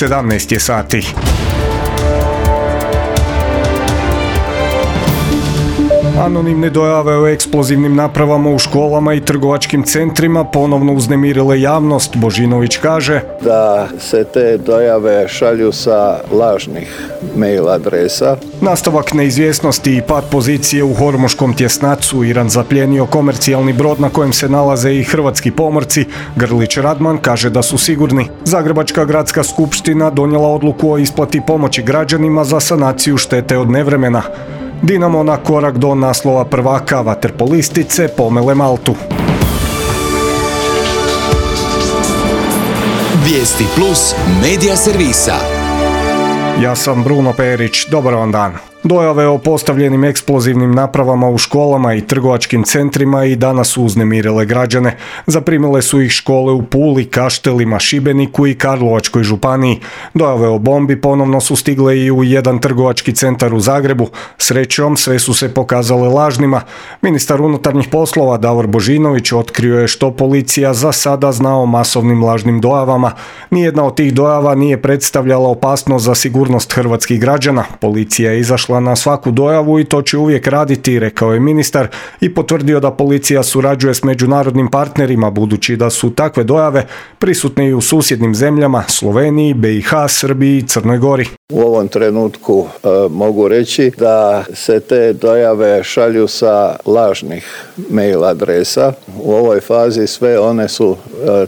17 je sati. Anonimne dojave o eksplozivnim napravama u školama i trgovačkim centrima ponovno uznemirile javnost, Božinović kaže da se te dojave šalju sa lažnih mail adresa. Nastavak neizvjesnosti i pad pozicije u Hormuškom tjesnacu. Iran zaplijenio komercijalni brod na kojem se nalaze i hrvatski pomorci. Grlić Radman kaže da su sigurni. Zagrebačka gradska skupština donijela odluku o isplati pomoći građanima za sanaciju štete od nevremena. Dinamo na korak do naslova prvaka, vaterpolistice pomele Maltu. Vijesti plus medija servisa. Ja sam Bruno Perić, dobar vam dan. Dojave o postavljenim eksplozivnim napravama u školama i trgovačkim centrima i danas su uznemirile građane. Zaprimile su ih škole u Puli, Kaštelima, Šibeniku i Karlovačkoj županiji. Dojave o bombi ponovno su stigle i u jedan trgovački centar u Zagrebu. Srećom, sve su se pokazale lažnima. Ministar unutarnjih poslova Davor Božinović otkrio je što policija za sada zna o masovnim lažnim dojavama. Nijedna od tih dojava nije predstavljala opasnost za sigurnost hrvatskih građana. Policija je izašla na svaku dojavu i to će uvijek raditi, rekao je ministar i potvrdio da policija surađuje s međunarodnim partnerima budući da su takve dojave prisutne i u susjednim zemljama Sloveniji, BiH, Srbiji i Crnoj Gori. U ovom trenutku mogu reći da se te dojave šalju sa lažnih mail adresa. U ovoj fazi sve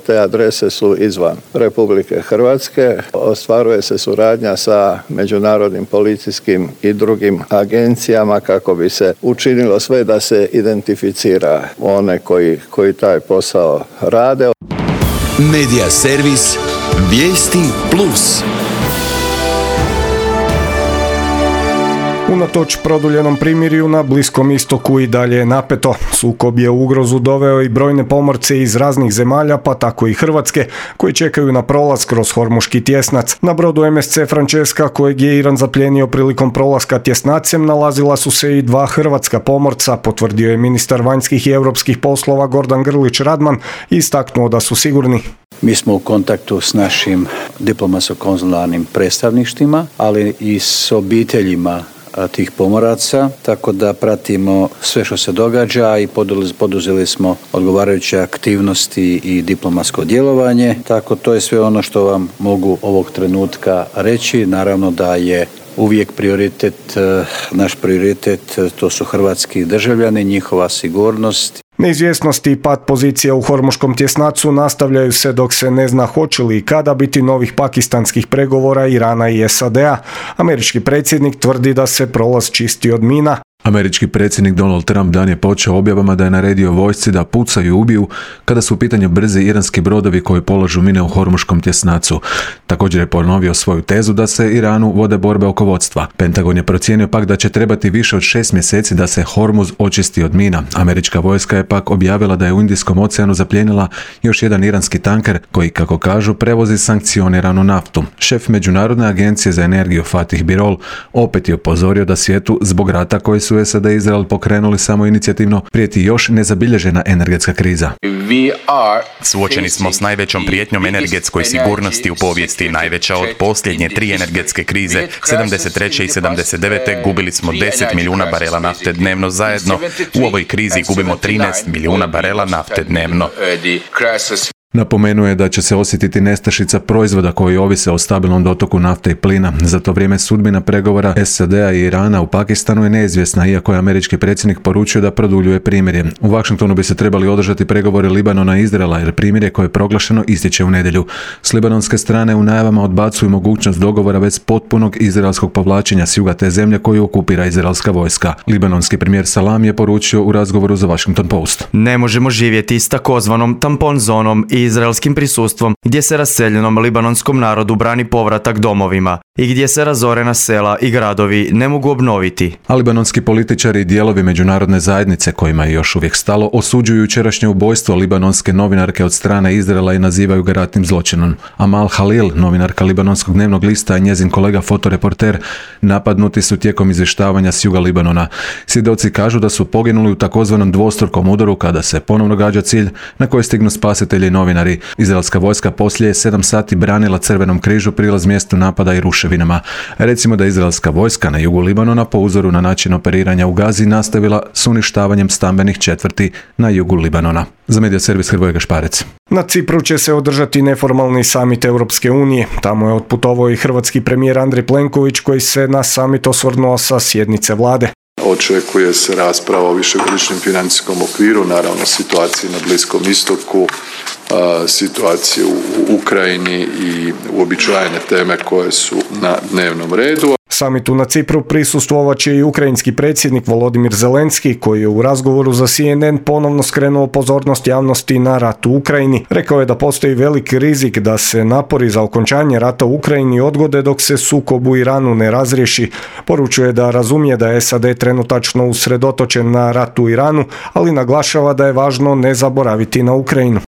te adrese su izvan Republike Hrvatske. Ostvaruje se suradnja sa međunarodnim policijskim i drugim agencijama kako bi se učinilo sve da se identificira one koji taj posao rade. Medija servis Vijesti plus. Unatoč produljenom primirju na Bliskom istoku i dalje je napeto. Sukob je u ugrozu doveo i brojne pomorce iz raznih zemalja, pa tako i Hrvatske, koji čekaju na prolaz kroz Hormuški tjesnac. Na brodu MSC Francesca, kojeg je Iran zaplijenio prilikom prolaska tjesnacem, nalazila su se i dva hrvatska pomorca, potvrdio je ministar vanjskih i europskih poslova Gordan Grlić Radman i istaknuo da su sigurni. Mi smo u kontaktu s našim diplomatsko-konzularnim predstavništvima, ali i s obiteljima tih pomoraca, tako da pratimo sve što se događa i poduzeli smo odgovarajuće aktivnosti i diplomatsko djelovanje, tako to je sve ono što vam mogu ovog trenutka reći. Naravno da je uvijek naš prioritet, to su hrvatski državljani, njihova sigurnost. Neizvjesnosti i pad pozicija u Hormuškom tjesnacu nastavljaju se dok se ne zna hoće li i kada biti novih pakistanskih pregovora Irana i SAD-a. Američki predsjednik tvrdi da se prolaz čisti od mina. Američki predsjednik Donald Trump dan je počeo objavama da je naredio vojsci da pucaju i ubiju kada su u pitanju brzi iranski brodovi koji polažu mine u Hormuškom tjesnacu. Također je ponovio svoju tezu da se Iranu vode borbe oko vodstva. Pentagon je procijenio pak da će trebati više od 6 mjeseci da se Hormuz očisti od mina. Američka vojska je pak objavila da je u Indijskom oceanu zaplijenila još jedan iranski tanker koji, kako kažu, prevozi sankcioniranu naftu. Šef Međunarodne agencije za energiju Fatih Birol opet je upozorio da svijetu zbog rata koji su SAD i Izrael pokrenuli samoinicijativno prijeti još nezabilježena energetska kriza. Suočeni smo s najvećom prijetnjom energetskoj sigurnosti u povijesti, najveća od posljednje 3 energetske krize. 73. i 79. gubili smo 10 milijuna barela nafte dnevno zajedno. U ovoj krizi gubimo 13 milijuna barela nafte dnevno. Napomenuo je da će se osjetiti nestašica proizvoda koji ovise o stabilnom dotoku nafte i plina. Za to vrijeme sudbina pregovora SAD-a i Irana u Pakistanu je neizvjesna, iako je američki predsjednik poručio da produljuje primirje. U Washingtonu bi se trebali održati pregovori Libanona i Izraela, jer primirje koje je proglašeno istječe u nedjelju. S libanonske strane u najavama odbacuju mogućnost dogovora već potpunog izraelskog povlačenja s juga te zemlje koju okupira izraelska vojska. Libanonski premijer Salam je poručio u razgovoru za Washington Post. Ne možemo živjeti s takozvanom tampon zonom i izraelskim prisustvom gdje se raseljenom libanonskom narodu brani povratak domovima i gdje se razorena sela i gradovi ne mogu obnoviti. A libanonski političari i dijelovi međunarodne zajednice, kojima je još uvijek stalo, osuđuju jučerašnje ubojstvo libanonske novinarke od strane Izraela i nazivaju ga ratnim zločinom. Amal Halil, novinarka libanonskog dnevnog lista, i njezin kolega fotoreporter napadnuti su tijekom izvještavanja s juga Libanona. Svjedoci kažu da su poginuli u takozvanom dvostrukom udaru kada se ponovno gađa cilj na koji stignu spasitelji i novinari novinari. Izraelska vojska poslije 7 sati branila Crvenom križu prilaz mjestu napada i ruševinama. Recimo da izraelska vojska na jugu Libanona po uzoru na način operiranja u Gazi nastavila s uništavanjem stambenih četvrti na jugu Libanona. Za Medija servis Hrvoje Gašparec. Na Cipru će se održati neformalni samit Europske unije. Tamo je otputovao i hrvatski premijer Andrej Plenković koji se na samit osvrnuo sa sjednice vlade. Očekuje se rasprava o višegodišnjem financijskom okviru, naravno situaciji na Bliskom istoku, situaciju u Ukrajini i uobičajene teme koje su na dnevnom redu. Samitu na Cipru prisustvovat će i ukrajinski predsjednik Volodimir Zelenski, koji je u razgovoru za CNN ponovno skrenuo pozornost javnosti na rat u Ukrajini. Rekao je da postoji velik rizik da se napori za okončanje rata u Ukrajini odgode dok se sukob u Iranu ne razriješi. Poručuje da razumije da je SAD trenutačno usredotočen na rat u Iranu, ali naglašava da je važno ne zaboraviti na Ukrajinu.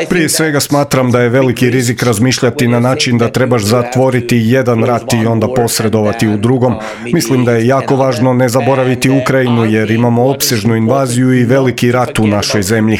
Prije svega smatram da je veliki rizik razmišljati na način da trebaš zatvoriti jedan rat i onda posredovati u drugom. Mislim da je jako važno ne zaboraviti Ukrajinu jer imamo opsežnu invaziju i veliki rat u našoj zemlji.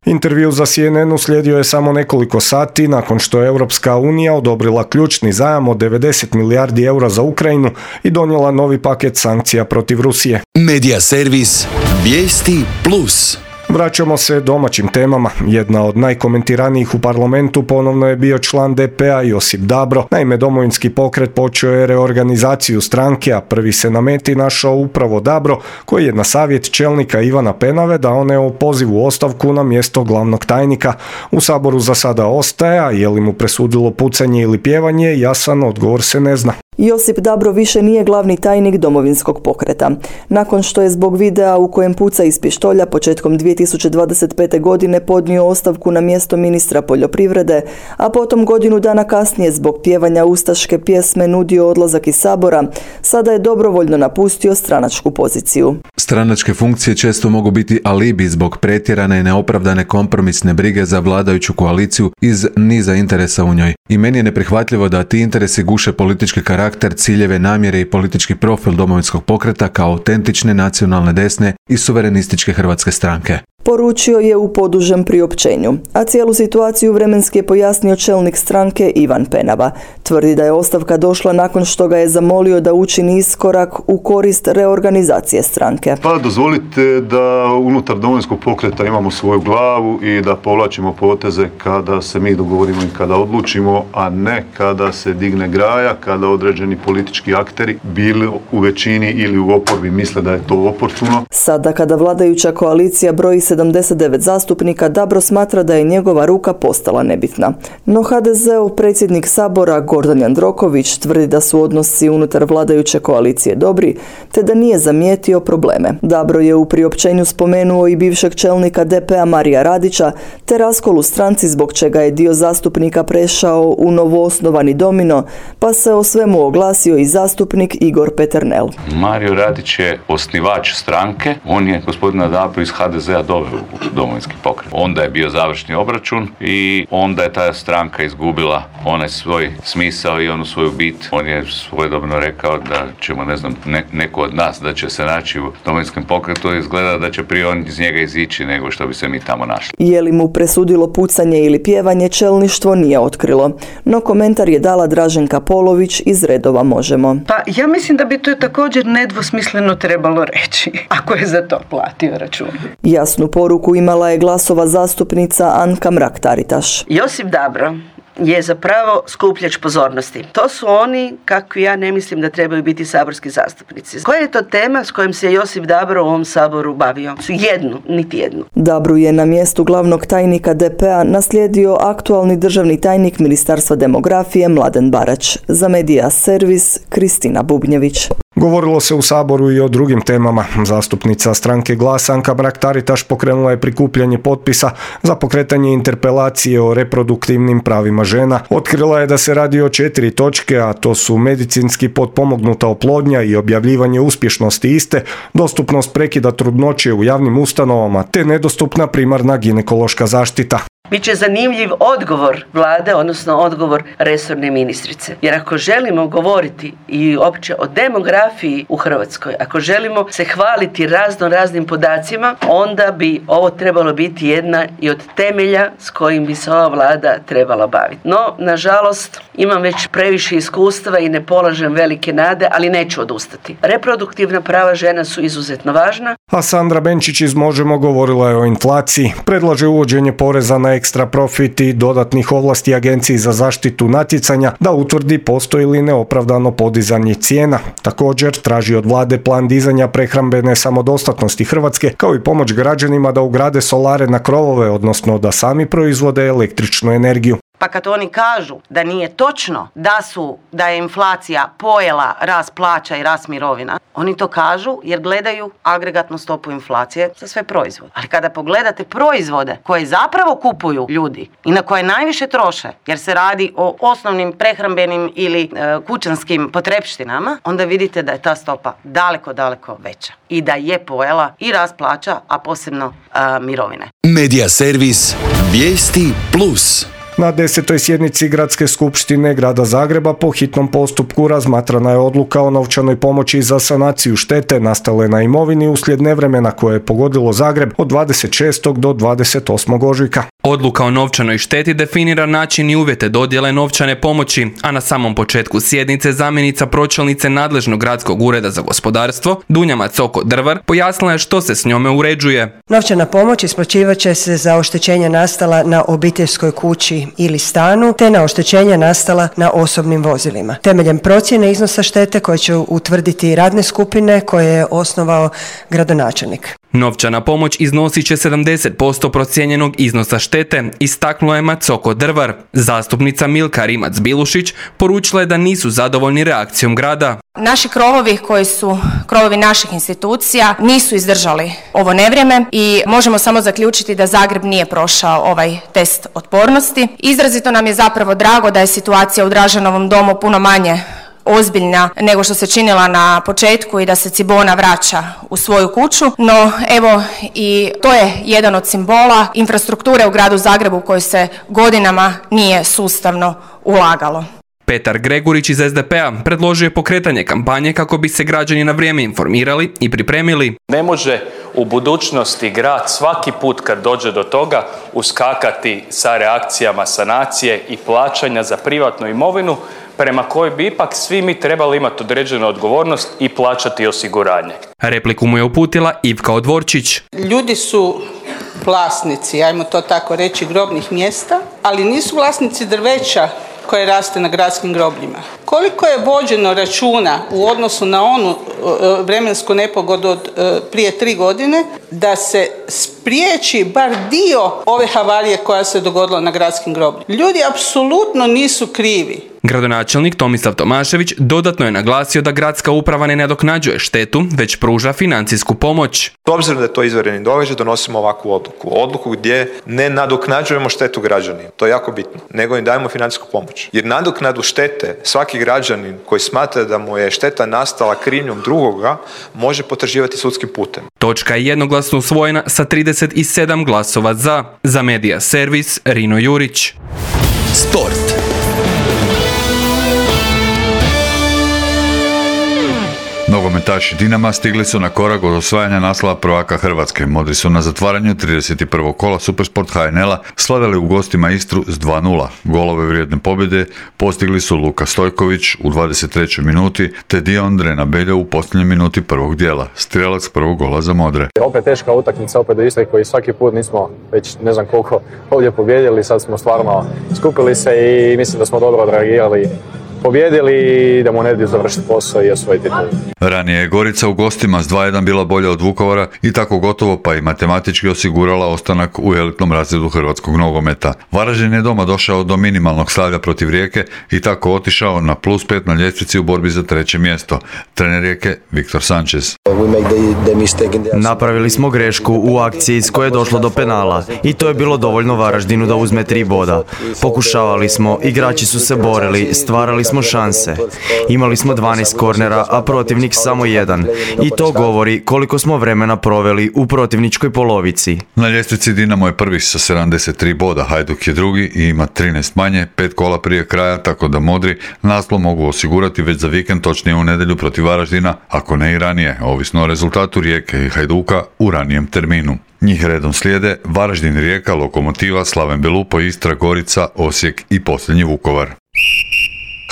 Intervju za CNN uslijedio je samo nekoliko sati nakon što je Europska unija odobrila ključni zajam od 90 milijardi eura za Ukrajinu i donijela novi paket sankcija protiv Rusije. Medija servis Vijesti Plus. Vraćamo se domaćim temama. Jedna od najkomentiranijih u parlamentu ponovno je bio član DP-a Josip Dabro. Naime, Domovinski pokret počeo je reorganizaciju stranke, a prvi se na meti našao upravo Dabro, koji je na savjet čelnika Ivana Penave dao neopozivu ostavku na mjesto glavnog tajnika. U Saboru za sada ostaje, a je li mu presudilo pucanje ili pjevanje, jasan odgovor se ne zna. Josip Dabro više nije glavni tajnik Domovinskog pokreta. Nakon što je zbog videa u kojem puca iz pištolja početkom 2025. godine podnio ostavku na mjesto ministra poljoprivrede, a potom godinu dana kasnije zbog pjevanja ustaške pjesme nudio odlazak iz Sabora, sada je dobrovoljno napustio stranačku poziciju. Stranačke funkcije često mogu biti alibi zbog pretjerane i neopravdane kompromisne brige za vladajuću koaliciju iz niza interesa u njoj. I meni je neprihvatljivo da ti interesi guše politički karakter, ciljeve, namjere i politički profil Domovinskog pokreta kao autentične nacionalne desne i suverenističke hrvatske stranke. Poručio je u podužem priopćenju, a cijelu situaciju vremenski je pojasnio čelnik stranke Ivan Penava. Tvrdi da je ostavka došla nakon što ga je zamolio da učini iskorak u korist reorganizacije stranke. Pa dozvolite da unutar Domovinskog pokreta imamo svoju glavu i da povlačimo poteze kada se mi dogovorimo i kada odlučimo, a ne kada se digne graja, kada određeni politički akteri, bili u većini ili u oporbi, misle da je to oportuno. Sada kada vladajuća koalicija broji 79 zastupnika, Dabro smatra da je njegova ruka postala nebitna. No HDZ-ov predsjednik Sabora Gordan Jandroković tvrdi da su odnosi unutar vladajuće koalicije dobri, te da nije zamijetio probleme. Dabro je u priopćenju spomenuo i bivšeg čelnika DP-a Marija Radića, te raskol u stranci zbog čega je dio zastupnika prešao u novoosnovani Domino, pa se o svemu oglasio i zastupnik Igor Peternel. Mario Radić je osnivač stranke, on je gospodina Dabro iz HDZ-a doveo u Domovinski pokret. Onda je bio završni obračun i onda je ta stranka izgubila onaj svoj smisao i onu svoju bit. On je svojedobno rekao da ćemo, neko od nas da će se naći u Domovinskom pokretu, izgleda da će prije on iz njega izići nego što bi se mi tamo našli. Je li mu presudilo pucanje ili pjevanje, čelništvo nije otkrilo. No komentar je dala Draženka Polović iz redova Možemo. Pa ja mislim da bi to također nedvosmisleno trebalo reći, ako je za to platio račun. Jasnu poruku imala je Glasova zastupnica Anka Mrak-Taritaš. Josip Dabro je zapravo skupljač pozornosti. To su oni, kako ja ne mislim da trebaju biti saborski zastupnici. Koja je to tema s kojom se Josip Dabro u ovom Saboru bavio? Niti jednu. Dabru je na mjestu glavnog tajnika DP-a naslijedio aktualni državni tajnik Ministarstva demografije Mladen Barać. Za Medija servis Kristina Bubnjević. Govorilo se u Saboru i o drugim temama. Zastupnica stranke Glas Anka Mrak-Taritaš pokrenula je prikupljanje potpisa za pokretanje interpelacije o reproduktivnim pravima žena. Otkrila je da se radi o 4 točke, a to su medicinski potpomognuta oplodnja i objavljivanje uspješnosti iste, dostupnost prekida trudnoće u javnim ustanovama te nedostupna primarna ginekološka zaštita. Biće zanimljiv odgovor vlade, odnosno odgovor resorne ministrice. Jer ako želimo govoriti i opće o demografiji u Hrvatskoj, ako želimo se hvaliti raznim podacima, onda bi ovo trebalo biti jedna i od temelja s kojim bi se ova vlada trebala baviti. No, nažalost, imam već previše iskustva i ne polažem velike nade, ali neću odustati. Reproduktivna prava žena su izuzetno važna. A Sandra Benčić iz Možemo govorila je o inflaciji. Predlaže uvođenje poreza na ekstra profit i dodatnih ovlasti Agenciji za zaštitu natjecanja da utvrdi postoji li neopravdano podizanje cijena. Također traži od vlade plan dizanja prehrambene samodostatnosti Hrvatske, kao i pomoć građanima da ugrade solare na krovove, odnosno da sami proizvode električnu energiju. Pa kad oni kažu da nije točno da je inflacija pojela rast plaća i rast mirovina, oni to kažu jer gledaju agregatnu stopu inflacije za sve proizvode. Ali kada pogledate proizvode koje zapravo kupuju ljudi i na koje najviše troše, jer se radi o osnovnim prehrambenim ili kućanskim potrepštinama, onda vidite da je ta stopa daleko, daleko veća i da je pojela i rast plaća, a posebno mirovine. Medija servis Vijesti Plus. Na 10. sjednici Gradske skupštine Grada Zagreba po hitnom postupku razmatrana je odluka o novčanoj pomoći za sanaciju štete nastale na imovini uslijed nevremena koje je pogodilo Zagreb od 26. do 28. ožujka. Odluka o novčanoj šteti definira način i uvjete dodjele novčane pomoći, a na samom početku sjednice zamjenica pročelnice nadležnog Gradskog ureda za gospodarstvo, Dunja Macoko-Drvar, pojasnila je što se s njome uređuje. Novčana pomoć isplaćivat će se za oštećenja nastala na obiteljskoj kući ili stanu, te na oštećenja nastala na osobnim vozilima. Temeljem procjene iznosa štete koje će utvrditi radne skupine koje je osnovao gradonačelnik. Novčana pomoć iznosit će 70% procijenjenog iznosa štete, istaknula je Macoko-Drvar. Zastupnica Milka Rimac-Bilušić poručila je da nisu zadovoljni reakcijom grada. Naši krovovi, koji su krovovi naših institucija, nisu izdržali ovo nevrijeme i možemo samo zaključiti da Zagreb nije prošao ovaj test otpornosti. Izrazito nam je zapravo drago da je situacija u Dražanovom domu puno manje ozbiljna nego što se činila na početku i da se Cibona vraća u svoju kuću, no evo i to je jedan od simbola infrastrukture u gradu Zagrebu u kojoj se godinama nije sustavno ulagalo. Petar Gregurić iz SDP-a predložio je pokretanje kampanje kako bi se građani na vrijeme informirali i pripremili. Ne može u budućnosti grad svaki put kad dođe do toga uskakati sa reakcijama sanacije i plaćanja za privatnu imovinu prema kojoj bi ipak svi mi trebali imati određenu odgovornost i plaćati osiguranje. Repliku mu je uputila Ivka Odvorčić. Ljudi su vlasnici, ajmo to tako reći, grobnih mjesta, ali nisu vlasnici drveća koje raste na gradskim grobljima. Koliko je vođeno računa u odnosu na onu vremensku nepogodu od prije 3 godine da se spriječi bar dio ove havarije koja se dogodila na gradskim grobljima. Ljudi apsolutno nisu krivi. Gradonačelnik Tomislav Tomašević dodatno je naglasio da gradska uprava ne nadoknađuje štetu, već pruža financijsku pomoć. S obzirom da je to izvanredni događaj, donosimo ovakvu odluku. Odluku gdje ne nadoknađujemo štetu građanima. To je jako bitno. Nego im dajemo financijsku pomoć. Jer nadoknadu štete svaki građanin koji smatra da mu je šteta nastala krivnjom drugoga može potraživati sudskim putem. Točka je jednoglasno usvojena sa 37 glasova za. Za Medija servis Rino Jurić. Sport. Nogometaši Dinama stigli su na korak od osvajanja naslova prvaka Hrvatske. Modri su na zatvaranju 31. kola Supersport HNL-a slavili u gostima Istru s 2:0. Golove vrijedne pobjede postigli su Luka Stojković u 23. minuti te Diondre Nabeljo u posljednjoj minuti prvog dijela. Strijelac prvog gola za Modre. Opet teška utakmica, opet do Istre koji svaki put nismo već ne znam koliko ovdje pobjedili. Sad smo stvarno skupili se i mislim da smo dobro odreagirali, pobjedili i da mu ne završiti posao i osvojiti titul. Ranije je Gorica u gostima s 2:1 bila bolja od Vukovara i tako gotovo pa i matematički osigurala ostanak u elitnom razredu hrvatskog nogometa. Varaždin je doma došao do minimalnog slavlja protiv Rijeke i tako otišao na +5 na ljestvici u borbi za 3. mjesto. Trener Rijeke Viktor Sanchez. Napravili smo grešku u akciji s koje je došlo do penala i to je bilo dovoljno Varaždinu da uzme 3 boda. Pokušavali smo, igrači su se borili, stvarali smo smo šanse. Imali smo 12 kornera, a protivnik samo 1. I to govori koliko smo vremena proveli u protivničkoj polovici. Na ljestvici Dinamo je prvi sa 73 boda, Hajduk je drugi i ima 13 manje, 5 kola prije kraja, tako da modri naslov mogu osigurati već za vikend, točnije u nedjelju protiv Varaždina, ako ne i ranije, ovisno o rezultatu Rijeke i Hajduka u ranijem terminu. Njih redom slijede Varaždin, Rijeka, Lokomotiva, Slaven Belupo, Istra, Gorica, Osijek i posljednji Vukovar.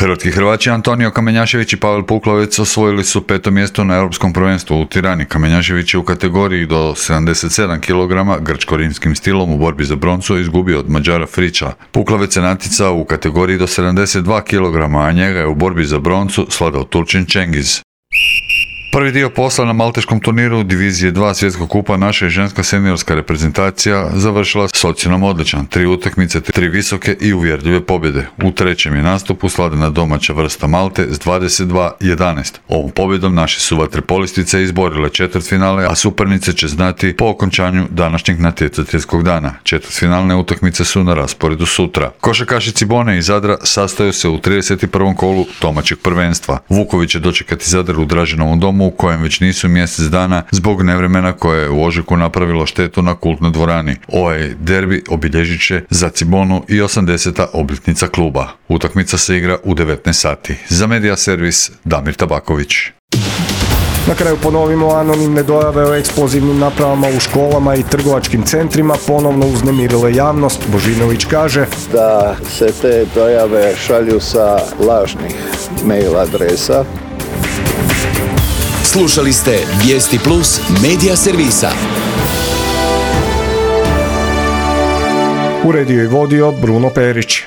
Hrvatski Hrvaći Antonio Kamenjašević i Pavel Puklovec osvojili su 5. mjesto na Europskom prvenstvu u Tirani. Kamenjašević je u kategoriji do 77 kg grčko-rimskim stilom u borbi za broncu izgubio od Mađara Friča. Puklovec je natjecao u kategoriji do 72 kg, a njega je u borbi za broncu sladao Turčin Cengiz. Prvi dio posla na malteškom turniru Divizije 2 svjetskog kupa naša je ženska seniorska reprezentacija završila s ocjenom odličan. 3 utakmice, 3 visoke i uvjerljive pobjede. U trećem je nastupu slavljena domaća vrsta Malte s 22-11. Ovom pobjedom naše su vaterpolistice izborile četvrtfinale, a supernice će znati po okončanju današnjeg natjecateljskog dana. Četvrtfinalne utakmice su na rasporedu sutra. Košarkaši Cibone i Zadra sastaju se u 31. kolu domaćeg prvenstva. Vuković će dočekati Zadar u Draženovom domu u kojem već nisu mjesec dana zbog nevremena koje je u ožujku napravilo štetu na kultnoj dvorani. Ovaj derbi obilježit će za Cibonu i 80. obljetnica kluba. Utakmica se igra u 19 sati. Za Medija servis Damir Tabaković. Na kraju ponovimo, anonimne dojave o eksplozivnim napravama u školama i trgovačkim centrima ponovno uznemirile javnost. Božinović kaže da se te dojave šalju sa lažnih mail adresa. Slušali ste Vijesti Plus Medija servisa. Uredio i vodio Bruno Perić.